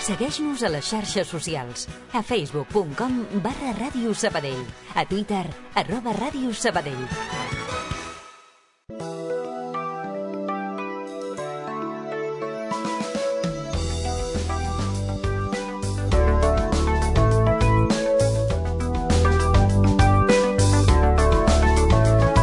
Segueix-nos a les xarxes socials. A facebook.com/Ràdio Sabadell. A Twitter, @Ràdio Sabadell.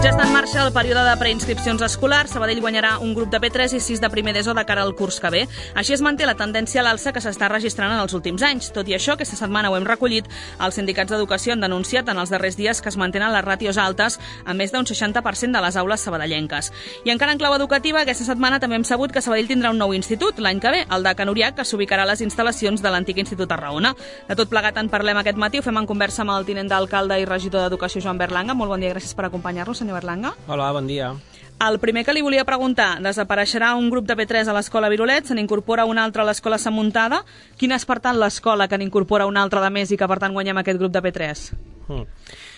Ja està en marxa el període de preinscripcions escolars. Sabadell guanyarà un grup de P3 i 6 de primer d'ESO de cara al curs que ve. Així es manté la tendència a l'alça que s'està registrant en els últims anys. Tot i això, aquesta setmana ho hem recollit, els sindicats d'educació han denunciat en els darrers dies que es mantenen les ràtios altes a més d'un 60% de les aules sabadellenques. I encara en clau educativa, aquesta setmana també hem sabut que Sabadell tindrà un nou institut l'any que ve, el de Can Uriach, que s'ubicarà a les instal·lacions de l'antic Institut Tarragona. De tot plegat en parlem aquest matí, ho fem en conversa amb el tinent d'alcalde i regidor d'Educació, Joan Berlanga. Molt bon dia, gràcies per acompanyar-nos, senyor Berlanga. Hola, bon dia. El primer que li volia preguntar, desapareixerà un grup de P3 a l'escola Virolet, se n'incorpora un altre a l'escola Sant Muntada. Quina és, per tant, l'escola que n'incorpora un altre de més i que, per tant, guanyem aquest grup de P3?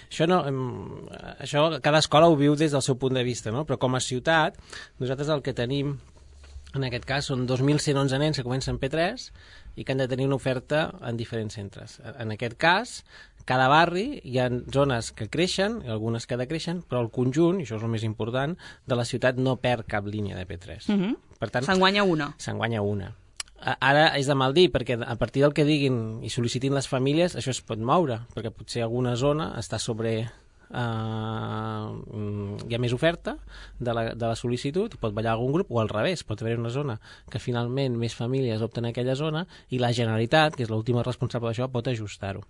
Això cada escola ho viu des del seu punt de vista, no? Però com a ciutat, nosaltres el que tenim, en aquest cas, són 2.111 nens que comencen P3 i que han de tenir una oferta en diferents centres. En aquest cas, cada barri hi ha zones que creixen i algunes que decreixen, però el conjunt, i això és el més important, de la ciutat no perd cap línia de P3. Per tant, se'n guanya una. Se'n guanya una. Ara és de mal dir, perquè a partir del que diguin i sol·licitin les famílies, això es pot moure, perquè potser alguna zona està sobre... hi ha més oferta de la sol·licitud i pot ballar algun grup, o al revés, pot haver una zona que finalment més famílies opten a aquella zona i la Generalitat, que és l'última responsable d'això, pot ajustar-ho.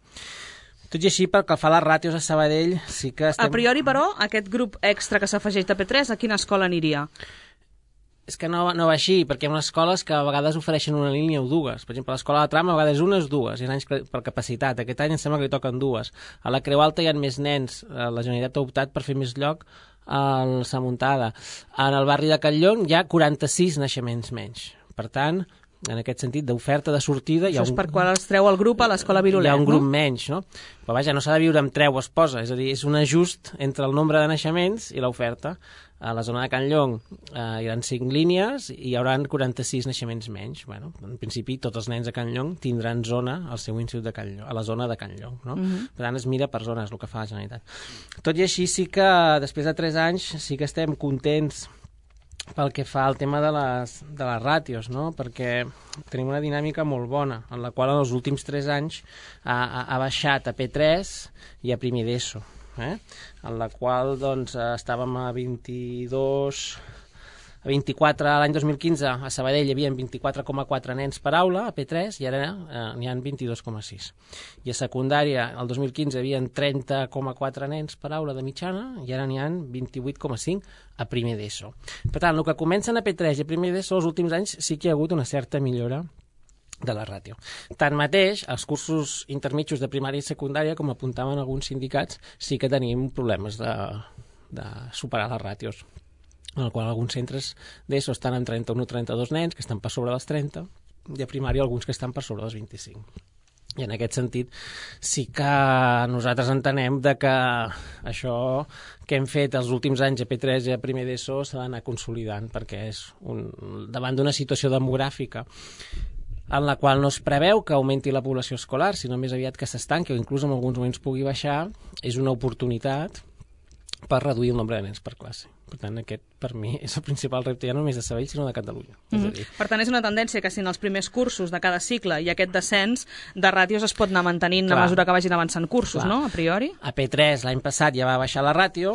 Tot i així, pel que fa a les ràtios a Sabadell, sí que estem... A priori, però, aquest grup extra que s'afegeix de P3, a quina escola aniria? És que no va així, perquè hi ha unes escoles que a vegades ofereixen una línia o dues. Per exemple, a l'escola de Trama a vegades una o dues, hi ha anys per capacitat. Aquest any em sembla que li toquen dues. A la Creu Alta hi ha més nens. La Generalitat ha optat per fer més lloc a la Muntada. En el barri de Catlllong hi ha 46 naixements menys. Per tant, en aquest sentit, d'oferta de sortida... Això és per quan es treu el grup a l'escola Virolet, no? Hi ha un grup menys, no? Però vaja, no s'ha de viure amb treu o esposa, és a dir, és un ajust entre el nombre de naixements i l'oferta. A la zona de Catlllong hi haurà 5 línies i hi haurà 46 naixements menys. Bueno, en principi, tots els nens de Catlllong tindran zona al seu institut de Catlllong, a la zona de Catlllong, no? Per tant, es mira per zones, el que fa la Generalitat. Tot i així, sí que després de 3 anys sí que estem contents pel que fa al tema de les ràtios, no? Perquè tenim una dinàmica molt bona, en la qual en els últims 3 anys ha baixat a P3 i a primer d'ESO, en la qual doncs, estàvem a 24 l'any 2015 a Sabadell hi havia 24,4 nens per aula a P3 i ara n'hi ha 22,6. I a secundària el 2015 hi havia 30,4 nens per aula de mitjana i ara n'hi ha 28,5 a primer d'ESO. Per tant, el que comencen a P3 i a primer d'ESO els últims anys sí que hi ha hagut una certa millora de la ràtio. Tanmateix, els cursos intermitjos de primària i secundària, com apuntaven alguns sindicats, sí que tenim problemes de superar les ràtios, en el qual alguns centres d'ESO estan amb 31 o 32 nens, que estan per sobre dels 30, i a primària alguns que estan per sobre dels 25. I en aquest sentit sí que nosaltres entenem que això que hem fet els últims anys a P3 i a primer d'ESO s'ha d'anar consolidant, perquè és davant d'una situació demogràfica en la qual no es preveu que augmenti la població escolar, sinó més aviat que s'estanqui o inclús en alguns moments pugui baixar, és una oportunitat per reduir el nombre de nens per classe. Per tant, aquest, per mi, és el principal repte ja no només de Sabadell, sinó de Catalunya. Per tant, és una tendència que si en els primers cursos de cada cicle hi ha aquest descens de ràtios es pot anar mantenint a mesura que vagin avançant cursos, no? A priori. A P3 l'any passat ja va baixar la ràtio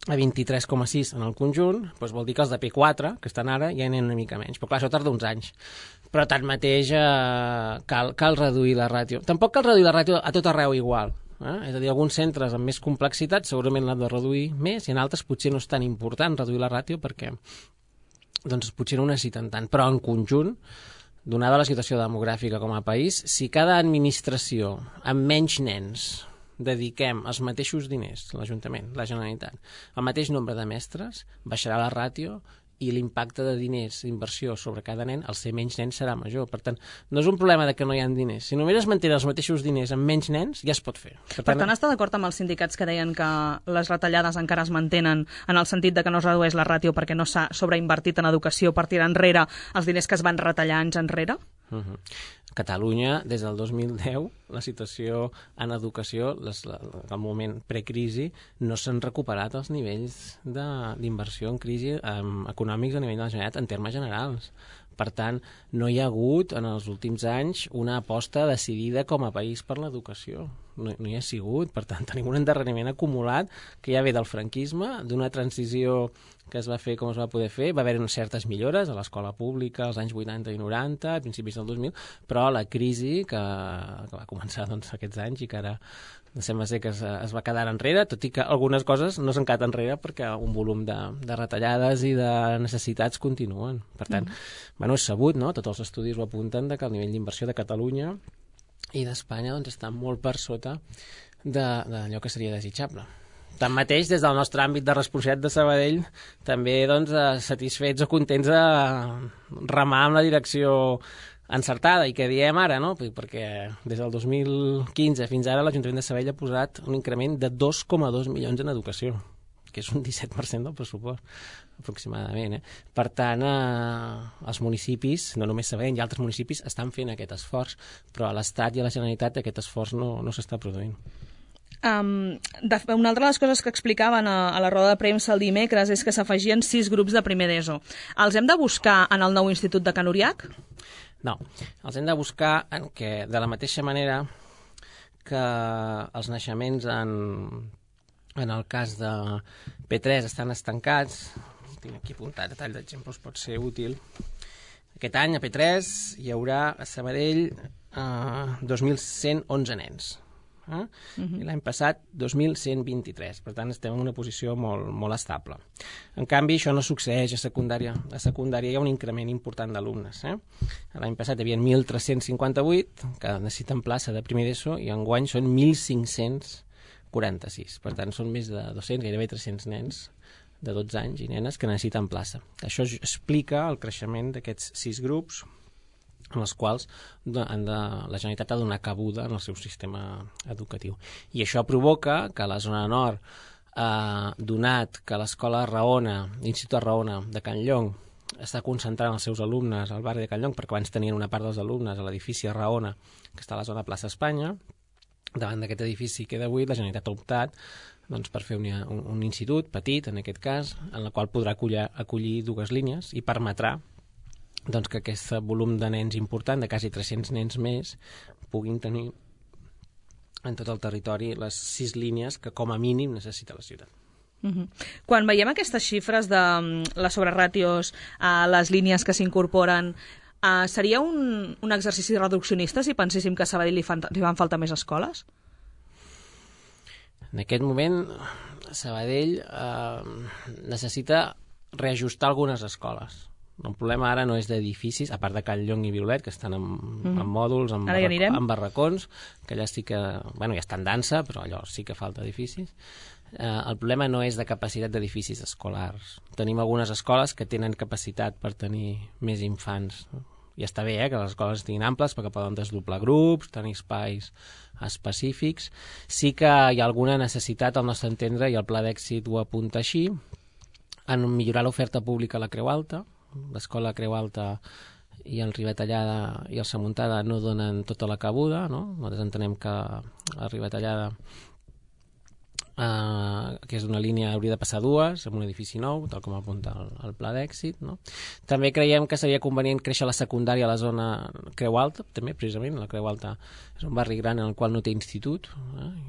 a 23,6 en el conjunt, doncs vol dir que els de P4, que estan ara, ja n'hi ha una mica menys. Però clar, això tarda uns anys. Però tanmateix cal reduir la ràtio. Tampoc cal reduir la ràtio a tot arreu igual. És a dir, alguns centres amb més complexitat segurament l'han de reduir més i en altres potser no és tan important reduir la ràtio perquè doncs, potser no ho necessiten tant. Però en conjunt, donada la situació demogràfica com a país, si cada administració amb menys nens dediquem els mateixos diners, l'Ajuntament, la Generalitat, el mateix nombre de mestres, baixarà la ràtio i l'impacte de diners, d'inversió sobre cada nen, al ser menys nens serà major. Per tant, no és un problema de que no hi ha diners. Si només es mantenen els mateixos diners amb menys nens, ja es pot fer. Per tant, està d'acord amb els sindicats que deien que les retallades encara es mantenen en el sentit de que no es redueix la ràtio perquè no s'ha sobreinvertit en educació per tirar enrere els diners que es van retallar anys enrere? Catalunya, des del 2010, la situació en educació, al moment precrisi, no s'han recuperat els nivells d'inversió en crisi econòmics a nivell de la Generalitat en termes generals. Per tant, no hi ha hagut en els últims anys una aposta decidida com a país per l'educació. No hi ha sigut. Per tant, tenim un endarreriment acumulat que ja ve del franquisme, d'una transició que es va fer com es va poder fer. Va haver-hi certes millores a l'escola pública als anys 80 i 90, a principis del 2000, però la crisi que va començar aquests anys i que ara sembla ser que es va quedar enrere, tot i que algunes coses no s'han quedat enrere perquè un volum de retallades i de necessitats continuen. Per tant, és sabut, no? Tots els estudis ho apunten que el nivell d'inversió de Catalunya i d'Espanya està molt per sota d'allò que seria desitjable. Tanmateix, des del nostre àmbit de responsabilitat de Sabadell, també satisfets o contents de remar en la direcció encertada, i que diem ara, no? Perquè des del 2015 fins ara l'Ajuntament de Sabadell ha posat un increment de 2,2 milions en educació, que és un 17% del pressupost, aproximadament. Per tant, els municipis, no només Sabadell, i altres municipis estan fent aquest esforç, però a l'Estat i a la Generalitat aquest esforç no s'està produint. Una altra de les coses que explicaven a la roda de premsa el dimecres és que s'afegien 6 grups de primer d'ESO. Els hem de buscar en el nou institut de Can Uriach? No, els hem de buscar de la mateixa manera que els naixements en el cas de P3 estan estancats. Tinc aquí apuntat a tall d'exemples, pot ser útil. Aquest any a P3 hi haurà a Sabadell 2.111 nens. I l'any passat 2.123, per tant estem en una posició molt estable. En canvi, això no succeeix a secundària. A secundària hi ha un increment important d'alumnes. L'any passat hi havia 1.358 que necessiten plaça de primer d'ESO i enguany són 1.546. Per tant, són més de 200, gairebé 300 nens de 12 anys i nenes que necessiten plaça. Això explica el creixement d'aquests 6 grups en els quals la Generalitat ha donat cabuda en el seu sistema educatiu. I això provoca que a la zona nord, donat que l'escola Raona, l'Institut Raona de Can Llong, està concentrant els seus alumnes al barri de Can Llong, perquè abans tenien una part dels alumnes a l'edifici Raona, que està a la zona plaça Espanya. Davant d'aquest edifici que queda buit, la Generalitat ha optat per fer un institut petit, en aquest cas, en el qual podrà acollir 2 línies i permetrà que aquest volum de nens important, de quasi 300 nens més, puguin tenir en tot el territori les 6 línies que com a mínim necessita la ciutat. Quan veiem aquestes xifres de les sobreràtios a les línies que s'incorporen, seria un exercici reduccionista si penséssim que a Sabadell li van faltar més escoles? En aquest moment, Sabadell necessita reajustar algunes escoles. El problema ara no és d'edificis, a part de Can Llong i Violet, que estan en mòduls, en barracons, que allà sí que... ja està en dansa, però allò sí que falta edificis. El problema no és de capacitat d'edificis escolars. Tenim algunes escoles que tenen capacitat per tenir més infants. I està bé que les escoles estiguin amples perquè poden desdoblar grups, tenir espais específics. Sí que hi ha alguna necessitat, al nostre entendre, i el Pla d'Èxit ho apunta així, en millorar l'oferta pública a la Creu Alta. L'escola Creu Alta i el Ribatallada i el Samuntada no donen tota la cabuda, no? Nosaltres entenem que el Ribatallada, que és una línia, hauria de passar 2 en un edifici nou, tal com apunta el Pla d'Èxit, no? També creiem que seria convenient créixer la secundària a la zona Creu Alta, també, precisament, la Creu Alta és un barri gran en el qual no té institut,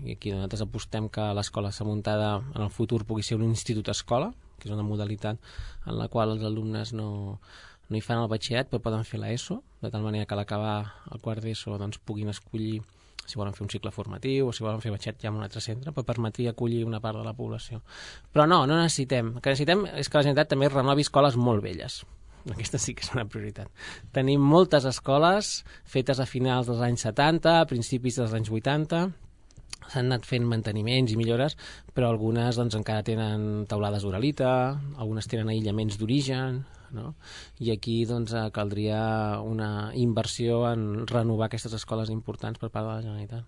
i aquí nosaltres apostem que l'escola Samuntada en el futur pugui ser un institut-escola, que és una modalitat en la qual els alumnes no hi fan el batxillerat, però poden fer l'ESO, de tal manera que a l'acabar el quart d'ESO puguin escollir si volen fer un cicle formatiu o si volen fer batxillerat ja en un altre centre, però permetria acollir una part de la població. Però no necessitem. El que necessitem és que la Generalitat també renovi escoles molt velles. Aquesta sí que és una prioritat. Tenim moltes escoles fetes a finals dels anys 70, a principis dels anys 80, s'han anat fent manteniments i millores, però algunes encara tenen teulades d'uralita, algunes tenen aïllaments d'origen, no? I aquí caldria una inversió en renovar aquestes escoles importants per part de la Generalitat.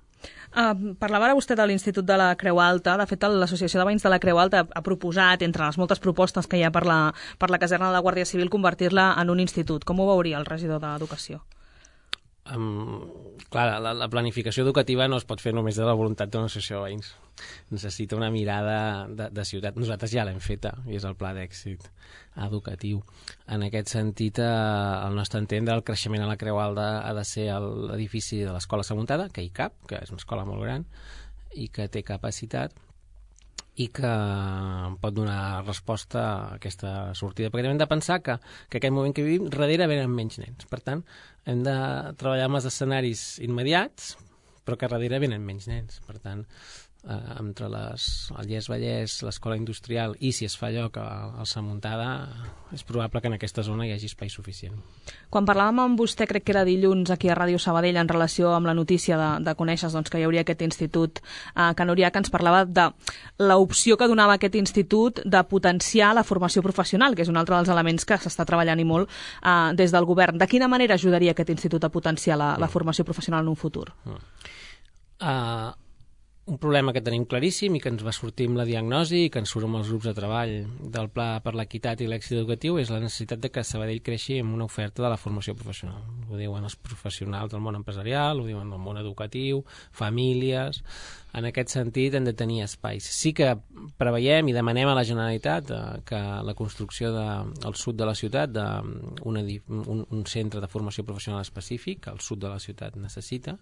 Parlava ara vostè de l'Institut de la Creu Alta. De fet, l'Associació de Veïns de la Creu Alta ha proposat, entre les moltes propostes que hi ha per la caserna de la Guàrdia Civil, convertir-la en un institut. Com ho veuria el regidor d'Educació? Clar, la planificació educativa no es pot fer només de la voluntat d'una associació de veïns. Necessita una mirada de ciutat. Nosaltres ja l'hem feta, i és el pla d'èxit educatiu. En aquest sentit, al nostre entendre, el creixement a la Creu Alta ha de ser l'edifici de l'Escola Samuntada, que hi cap, que és una escola molt gran i que té capacitat, i que pot donar resposta a aquesta sortida. Perquè hem de pensar que aquest moment que vivim, darrere venen menys nens. Per tant, hem de treballar amb els escenaris immediats, però que darrere venen menys nens. Per tant, entre el Lles-Vallès, l'Escola Industrial i, si es fa lloc al Samuntada, és probable que en aquesta zona hi hagi espai suficient. Quan parlàvem amb vostè, crec que era dilluns, aquí a Ràdio Sabadell, en relació amb la notícia de conèixer que hi hauria aquest institut a Can Oriach, ens parlava de l'opció que donava aquest institut de potenciar la formació professional, que és un altre dels elements que s'està treballant i molt des del govern. De quina manera ajudaria aquest institut a potenciar la formació professional en un futur? Un problema que tenim claríssim i que ens va sortir amb la diagnosi i que ens surt amb els grups de treball del Pla per l'Equitat i l'Èxit Educatiu és la necessitat de que Sabadell creixi amb una oferta de la formació professional. Ho diuen els professionals del món empresarial, ho diuen del món educatiu, famílies. En aquest sentit hem de tenir espais. Sí que preveiem i demanem a la Generalitat que la construcció al sud de la ciutat d'un centre de formació professional específic, al sud de la ciutat necessita.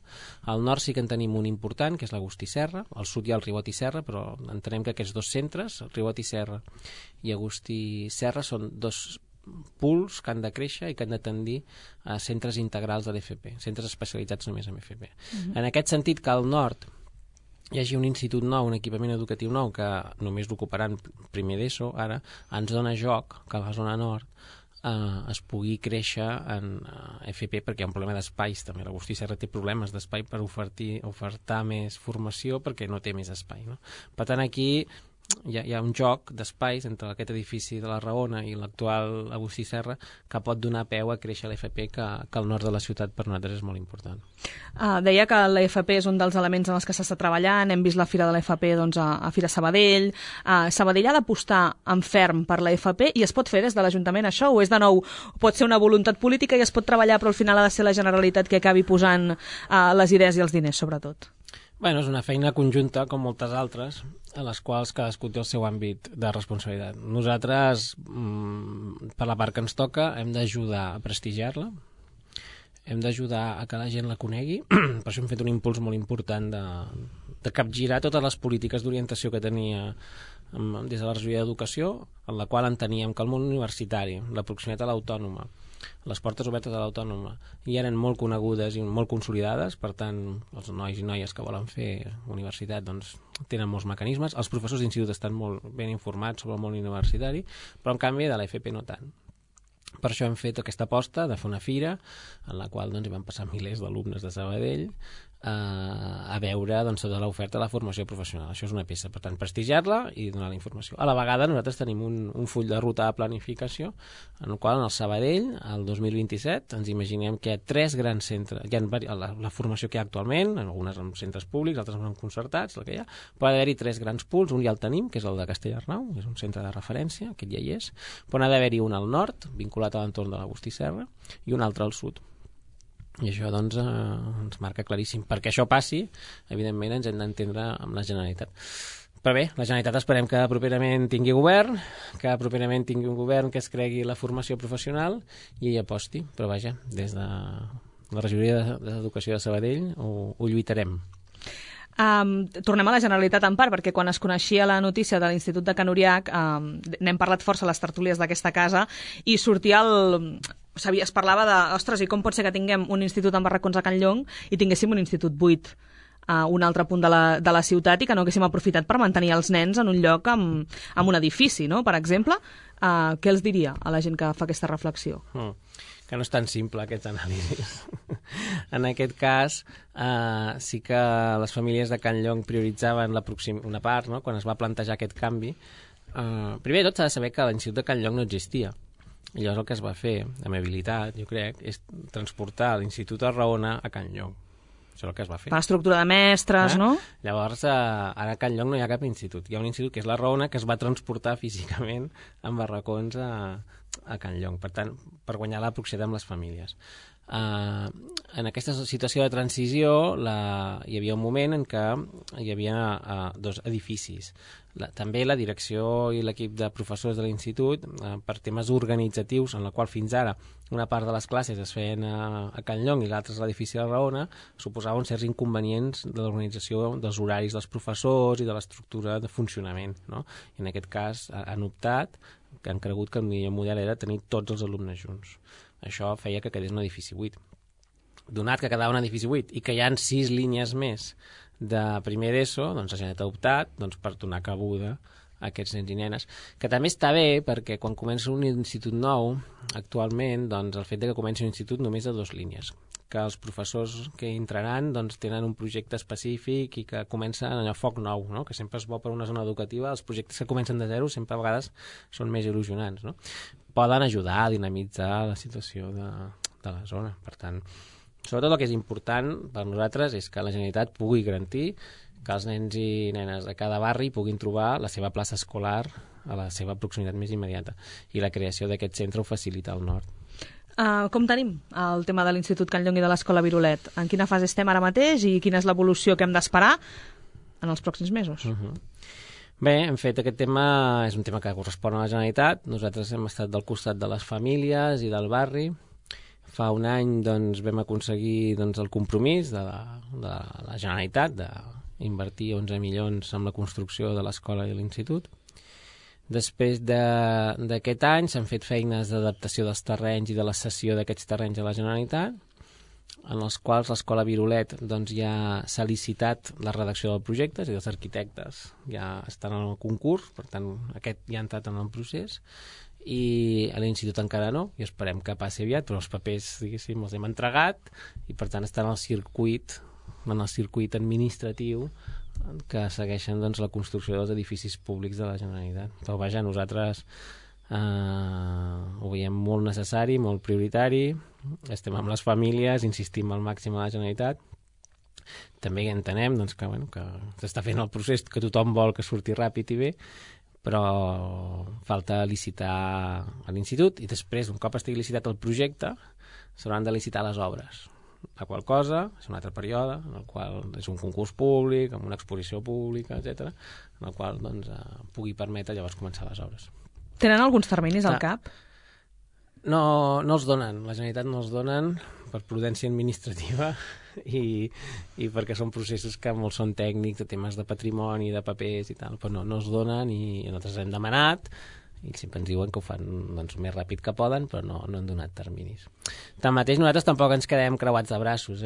Al nord sí que en tenim un important, que és l'Agustí Serra. Al sud hi ha el Ribot i Serra, però entenem que aquests dos centres, Ribot i Serra i Agustí Serra, són dos pools que han de créixer i que han de tendir a centres integrals de l'FP, centres especialitzats només en FP. En aquest sentit, que al nord hi hagi un institut nou, un equipament educatiu nou, que només l'ocuparan primer d'ESO, ara ens dona joc que a la zona nord es pugui créixer en FP, perquè hi ha un problema d'espais també. L'Agustí Serra té problemes d'espai per ofertar més formació perquè no té més espai, no? Per tant, aquí hi ha un joc d'espais entre aquest edifici de la Raona i l'actual Agustí Serra que pot donar peu a créixer l'FP, que al nord de la ciutat per nosaltres és molt important. Deia que l'FP és un dels elements en els que s'està treballant. Hem vist la fira de l'FP a Fira Sabadell. Sabadell ha d'apostar en ferm per l'FP i es pot fer des de l'Ajuntament això, o és de nou, pot ser una voluntat política i es pot treballar, però al final ha de ser la Generalitat que acabi posant les idees i els diners, sobretot? Bueno, és una feina conjunta, com moltes altres, a les quals cadascú té el seu àmbit de responsabilitat. Nosaltres, per la part que ens toca, hem d'ajudar a prestigiar-la, hem d'ajudar a que la gent la conegui, per això hem fet un impuls molt important de capgirar totes les polítiques d'orientació que tenia des de la regidoria d'Educació, en la qual enteníem que el món universitari, la proximitat a l'Autònoma, les portes obertes a l'Autònoma ja eren molt conegudes i molt consolidades, per tant, els nois i noies que volen fer universitat doncs, tenen molts mecanismes. Els professors d'institut estan molt ben informats sobre el món universitari, però en canvi de l'FP no tant. Per això hem fet aquesta aposta de fer una fira en la qual doncs, hi van passar milers d'alumnes de Sabadell a veure doncs, tota l'oferta de la formació professional. Això és una peça, per tant, prestigiar-la i donar la informació. A la vegada nosaltres tenim un full de ruta de planificació en el qual en el Sabadell, el 2027, ens imaginem que hi ha 3 grans centres. Hi ha la formació que hi ha actualment, algunes en centres públics, altres en concertats, el que hi ha, però ha d'haver-hi 3 grans pools. Un ja el tenim, que és el de Castellarnau, és un centre de referència, aquest ja hi és, però n'ha d'haver-hi un al nord, vinculat a l'entorn de l'Agustí Serra, i un altre al sud. I això doncs, ens marca claríssim. Perquè això passi, evidentment ens hem d'entendre amb la Generalitat. Però bé, la Generalitat esperem que properament tingui govern, que properament tingui un govern que es cregui la formació professional i hi aposti. Però vaja, des de la regidoria d'Educació de Sabadell ho lluitarem. Tornem a la Generalitat en part, perquè quan es coneixia la notícia de l'Institut de Can Oriach n'hem parlat força a les tertúlies d'aquesta casa i sortia es parlava de, ostres, i com pot ser que tinguem un institut en barracons a Can Llong i tinguéssim un institut buit a un altre punt de la ciutat i que no haguéssim aprofitat per mantenir els nens en un lloc amb un edifici, no? Per exemple, què els diria a la gent que fa aquesta reflexió? Que no és tan simple aquests anàlisis. En aquest cas, sí que les famílies de Can Llong prioritzaven una part, no? Quan es va plantejar aquest canvi. Primer de tot s'ha de saber que l'Institut de Can Llong no existia. I llavors el que es va fer, amb habilitat, jo crec, és transportar l'Institut de Raona a Can Llong. Això és el que es va fer. Per estructura de mestres, no? Llavors, ara a Can Llong no hi ha cap institut. Hi ha un institut que és la Raona, que es va transportar físicament en barracons a Can Llong, per tant, per guanyar la proximitat amb les famílies. en aquesta situació de transició hi havia un moment en què hi havia dos edificis. També la direcció i l'equip de professors de l'institut, per temes organitzatius, en la qual fins ara una part de les classes es feien a Can Llong i l'altra és l'edifici de Raona, suposaven certs inconvenients de l'organització dels horaris dels professors i de l'estructura de funcionament, no? I en aquest cas han optat, que han cregut que el millor model era tenir tots els alumnes junts. Això feia que quedés un edifici buit. Donat que quedava un edifici buit i que hi ha 6 línies més de primer d'ESO, doncs la Generalitat ha optat per donar cabuda a aquests nens i nenes, que també està bé perquè quan comença un institut nou, actualment, doncs el fet que comenci un institut només de 2 línies, que els professors que entraran tenen un projecte específic i que comencen allò foc nou, no? Que sempre és bo per una zona educativa, els projectes que comencen de zero sempre a vegades són més il·lusionants, no? Poden ajudar a dinamitzar la situació de la zona. Per tant, sobretot el que és important per nosaltres és que la Generalitat pugui garantir que els nens i nenes de cada barri puguin trobar la seva plaça escolar a la seva proximitat més immediata, i la creació d'aquest centre ho facilita al nord. Com tenim el tema de l'Institut Can Llong i de l'Escola Virolet? En quina fase estem ara mateix i quina és l'evolució que hem d'esperar en els pròxims mesos? Bé, hem fet aquest tema, és un tema que correspon a la Generalitat. Nosaltres hem estat del costat de les famílies i del barri. Fa un any vam aconseguir el compromís de la Generalitat d'invertir 11 milions en la construcció de l'escola i l'institut. Després d'aquest any s'han fet feines d'adaptació dels terrenys i de la cessió d'aquests terrenys a la Generalitat, en els quals l'Escola Virolet ja s'ha licitat la redacció del projecte, és a dir, els arquitectes ja estan en el concurs, per tant aquest ja ha entrat en el procés, i a l'institut encara no, i esperem que passi aviat, però els papers, diguéssim, els hem entregat i per tant estan en el circuit administratiu que segueixen la construcció dels edificis públics de la Generalitat. Però vaja, nosaltres ho veiem molt necessari, molt prioritari, estem amb les famílies, insistim al màxim a la Generalitat. També entenem que s'està fent el procés, que tothom vol que surti ràpid i bé, però falta licitar a l'institut i després, un cop estigui licitat el projecte, s'hauran de licitar les obres. La qual cosa és un altre període, en el qual és un concurs públic, amb una exposició pública, etc., en el qual pugui permetre llavors començar les obres. Tenen alguns terminis al cap? No els donen, la Generalitat no els donen per prudència administrativa i perquè són processos que molts són tècnics, de temes de patrimoni, de papers i tal, però no els donen i nosaltres hem demanat i sempre ens diuen que ho fan més ràpid que poden, però no han donat terminis. Tanmateix, nosaltres tampoc ens quedem creuats de braços,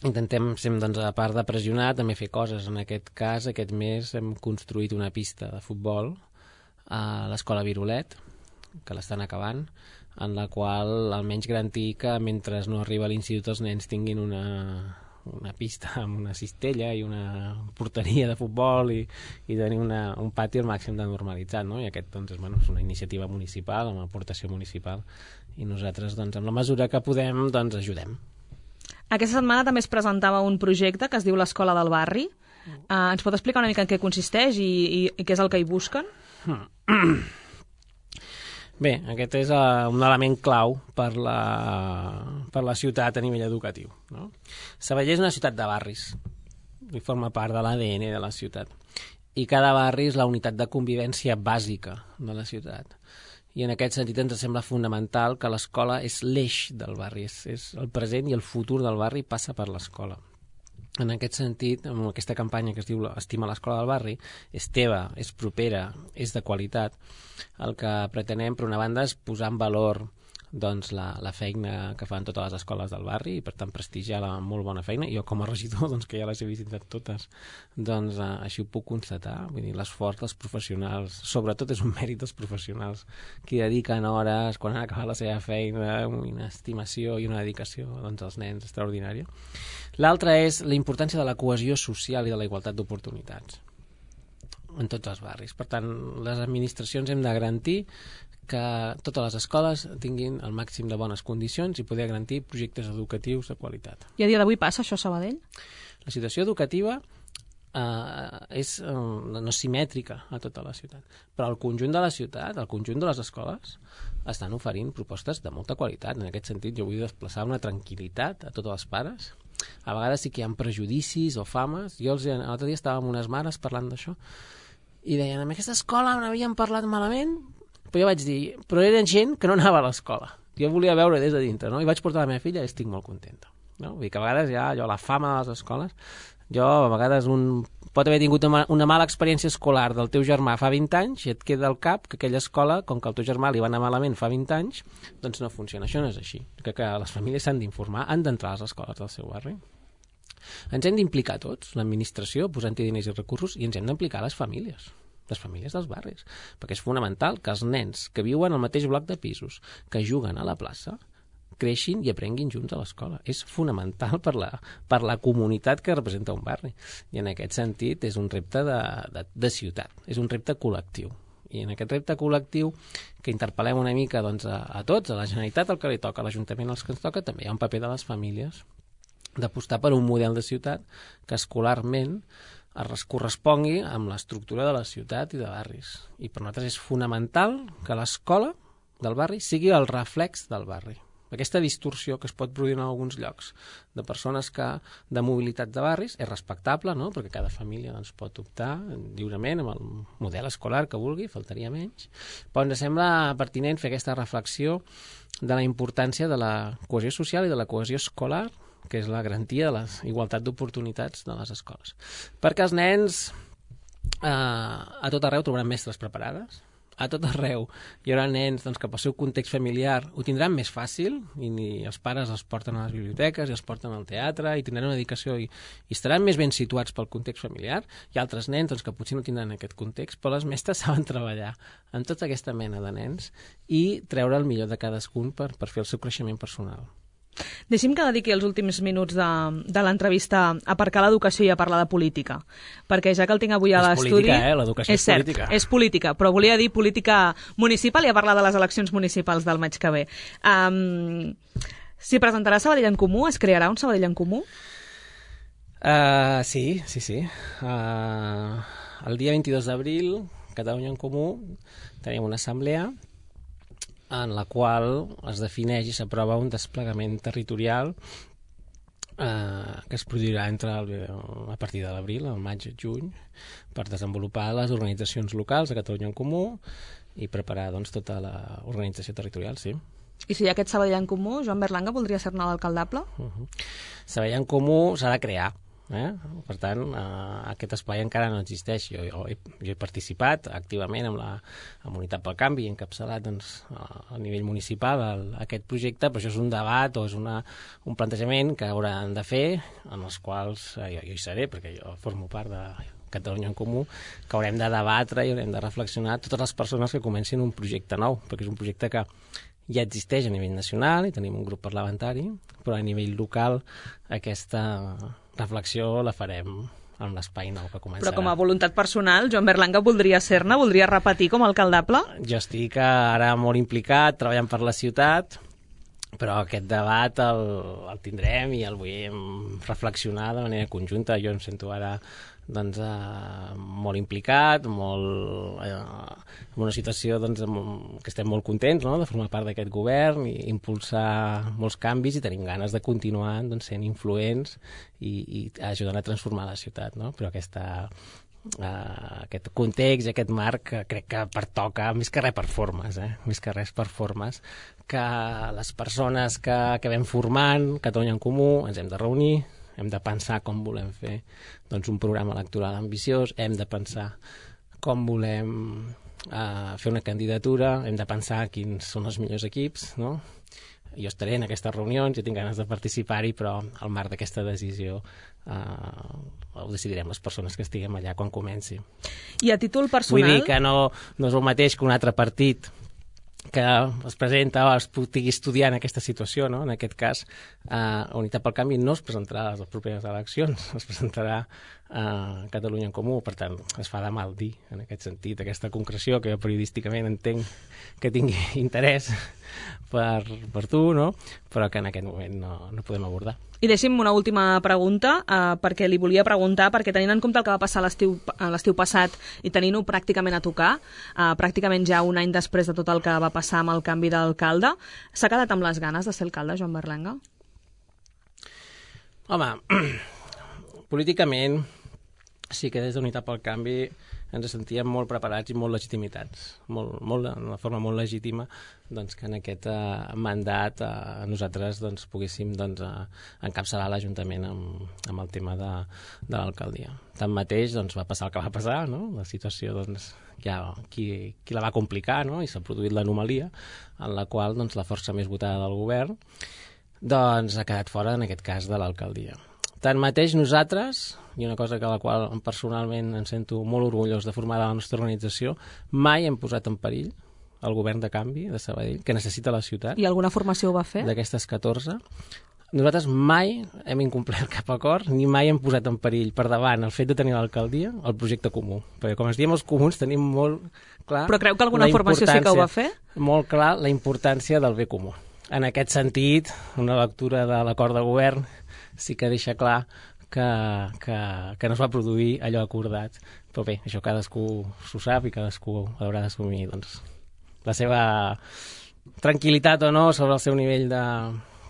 Intentem, a part de pressionar, també fer coses. En aquest cas, aquest mes hem construït una pista de futbol a l'Escola Virolet, que l'estan acabant, en la qual almenys garantir que mentre no arriba a l'institut els nens tinguin una pista amb una cistella i una porteria de futbol i tenir un pati al màxim de normalitzat, no? I aquest és una iniciativa municipal, amb aportació municipal, i nosaltres, amb la mesura que podem, ajudem. Aquesta setmana també es presentava un projecte que es diu l'Escola del Barri. Ens pot explicar una mica en què consisteix i què és el que hi busquen? Bé, aquest és un element clau per la ciutat a nivell educatiu, no? Sabadell és una ciutat de barris i forma part de l'ADN de la ciutat. I cada barri és la unitat de convivència bàsica de la ciutat. I en aquest sentit ens sembla fonamental que l'escola és l'eix del barri, és el present i el futur del barri passa per l'escola. En aquest sentit, amb aquesta campanya que es diu Estima l'escola del barri, és teva, és propera, és de qualitat. El que pretenem, per una banda, és posar en valor la feina que fan totes les escoles del barri i, per tant, prestigiar la molt bona feina. Jo, com a regidor, que ja les he visitat totes, així ho puc constatar. Vull dir, l'esforç dels professionals, sobretot és un mèrit dels professionals que dediquen hores quan han acabat la seva feina, una estimació i una dedicació als nens extraordinària. L'altre és la importància de la cohesió social i de la igualtat d'oportunitats en tots els barris. Per tant, les administracions hem de garantir que totes les escoles tinguin el màxim de bones condicions i poder garantir projectes educatius de qualitat. I a dia d'avui passa això a Sabadell? La situació educativa no simètrica a tota la ciutat. Però el conjunt de la ciutat, el conjunt de les escoles, estan oferint propostes de molta qualitat. En aquest sentit, jo vull desplaçar una tranquil·litat a tots els pares. A vegades sí que hi ha prejudicis o fames. L'altre dia estava amb unes mares parlant d'això i deien, en aquesta escola n'havien parlat malament, però jo vaig dir, però era gent que no anava a l'escola. Jo volia veure des de dintre, no? I vaig portar la meva filla i estic molt contenta. No? Vull dir que a vegades hi ha la fama de les escoles. A vegades pot haver tingut una mala experiència escolar del teu germà fa 20 anys i et queda al cap que aquella escola, com que al teu germà li va anar malament fa 20 anys, doncs no funciona. Això no és així. Que les famílies s'han d'informar, han d'entrar a les escoles del seu barri. Ens hem d'implicar tots, l'administració, posant-hi diners i recursos, i ens hem d'implicar les famílies dels barris, perquè és fonamental que els nens que viuen al mateix bloc de pisos, que juguen a la plaça, creixin i aprenguin junts a l'escola. És fonamental per la comunitat que representa un barri. I en aquest sentit és un repte de ciutat, és un repte col·lectiu. I en aquest repte col·lectiu que interpel·lem una mica doncs, a tots, a la Generalitat el que li toca, a l'Ajuntament els que ens toca, també hi ha un paper de les famílies d'apostar per un model de ciutat que escolarment es correspongui amb l'estructura de la ciutat i de barris. I per nosaltres és fonamental que l'escola del barri sigui el reflex del barri. Aquesta distorsió que es pot produir en alguns llocs de persones de mobilitat de barris és respectable, no? Perquè cada família doncs, pot optar lliurement amb el model escolar que vulgui, faltaria menys. Però ens sembla pertinent fer aquesta reflexió de la importància de la cohesió social i de la cohesió escolar, que és la garantia de la igualtat d'oportunitats de les escoles. Perquè els nens a tot arreu trobaran mestres preparades, a tot arreu hi haurà nens doncs, que pel seu context familiar ho tindran més fàcil i els pares els porten a les biblioteques i els porten al teatre i tindran una dedicació i estaran més ben situats pel context familiar. Hi ha altres nens doncs, que potser no tindran aquest context, però les mestres saben treballar amb tota aquesta mena de nens i treure el millor de cadascun per fer el seu creixement personal. Deixi'm que dediqui els últims minuts de l'entrevista a aparcar l'educació i a parlar de política, perquè ja que el tinc avui a l'estudi... És política, l'educació és política. És cert, és política, però volia dir política municipal i a parlar de les eleccions municipals del maig que ve. S'hi presentarà Sabadell en Comú? Es crearà un Sabadell en Comú? Sí. El dia 22 d'abril, Catalunya en Comú, tenim una assemblea en la qual es defineix i s'aprova un desplegament territorial que es produirà a partir de l'abril, al maig i juny, per desenvolupar les organitzacions locals de Catalunya en Comú i preparar doncs, tota l'organització territorial, sí. I si hi ha aquest Sabadell en Comú, Joan Berlanga voldria ser-ne l'alcaldable? Sabadell en Comú s'ha de crear. Per tant, aquest espai encara no existeix. Jo he participat activament amb la Unitat pel Canvi i encapçalat doncs, a nivell municipal aquest projecte, però això és un debat o és un plantejament que hauran de fer, en els quals jo hi seré, perquè jo formo part de Catalunya en Comú, que haurem de debatre i haurem de reflexionar totes les persones que comencin un projecte nou, perquè és un projecte que ja existeix a nivell nacional i tenim un grup parlamentari, però a nivell local aquesta reflexió la farem en l'espai nou que començarà. Però com a voluntat personal, Joan Berlanga voldria ser-ne? Voldria repetir com a alcaldable? Jo estic ara molt implicat, treballant per la ciutat, però aquest debat el tindrem i el vull reflexionar de manera conjunta. Jo em sento ara doncs, molt implicat, en una situació doncs, que estem molt contents, no?, de formar part d'aquest govern i impulsar molts canvis i tenim ganes de continuar doncs, sent influents i ajudant a transformar la ciutat, no? Però aquest context i aquest marc crec que pertoca més que res per formes, més que res per formes, que les persones que vam formant Catalunya en Comú ens hem de reunir, hem de pensar com volem fer doncs, un programa electoral ambiciós, hem de pensar com volem fer una candidatura, hem de pensar quins són els millors equips, no? Jo estaré en aquestes reunions, jo tinc ganes de participar-hi, però al marc d'aquesta decisió ho decidirem les persones que estiguem allà quan comenci. I a títol personal... Vull dir que no és el mateix que un altre partit que es presenta o es pugui estudiar en aquesta situació, no? En aquest cas, Unitat pel Canvi no es presentarà a les properes eleccions, es presentarà a Catalunya en Comú, per tant, es fa de mal dir, en aquest sentit, aquesta concreció que jo periodísticament entenc que tingui interès per tu, no? Però que en aquest moment no podem abordar. I deixi'm una última pregunta, perquè li volia preguntar, perquè tenint en compte el que va passar l'estiu passat i tenint-ho pràcticament a tocar, pràcticament ja un any després de tot el que va passar amb el canvi d'alcalde, s'ha quedat amb les ganes de ser alcalde, Joan Berlanga? Home, políticament sí que des d'Unitat pel Canvi ens sentíem molt preparats i molt legitimitats, d'una forma molt legítima, doncs, que en aquest mandat nosaltres doncs, poguéssim encapçalar l'Ajuntament amb el tema de l'alcaldia. Tanmateix doncs, va passar el que va passar, no? La situació doncs, qui la va complicar, no? I s'ha produït l'anomalia en la qual doncs, la força més votada del govern doncs, ha quedat fora, en aquest cas, de l'alcaldia. Tanmateix, nosaltres, i una cosa que la qual personalment em sento molt orgullós de formar de la nostra organització, mai hem posat en perill el govern de canvi de Sabadell, que necessita la ciutat. I alguna formació ho va fer? D'aquestes 14. Nosaltres mai hem incomplert cap acord, ni mai hem posat en perill per davant el fet de tenir l'alcaldia, el projecte comú. Perquè, com es diem els comuns, tenim molt clar... Però creu que alguna formació sí que ho va fer? Molt clar la importància del bé comú. En aquest sentit, una lectura de l'acord de govern sí que deixa clar que no es va produir allò acordat. Però bé, això cadascú s'ho sap i cadascú haurà d'assumir doncs, la seva tranquil·litat o no sobre el seu nivell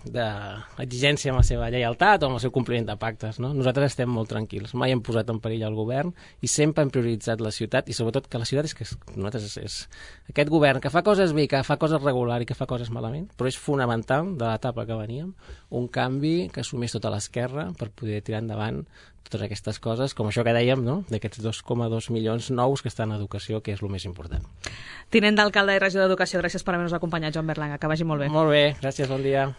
d'exigència amb la seva lleialtat o amb el seu compliment de pactes, no? Nosaltres estem molt tranquils, mai hem posat en perill el govern i sempre hem prioritzat la ciutat, i sobretot que la ciutat nosaltres és aquest govern que fa coses bé, que fa coses regular i que fa coses malament, però és fonamental de l'etapa que veníem, un canvi que assumís tota l'esquerra per poder tirar endavant totes aquestes coses, com això que dèiem, no? D'aquests 2,2 milions nous que estan a educació, que és el més important. Tinent d'alcalde i regidor d'Educació, gràcies per haver-nos acompanyat, Joan Berlanga, que vagi molt bé. Molt bé, gràcies, bon dia.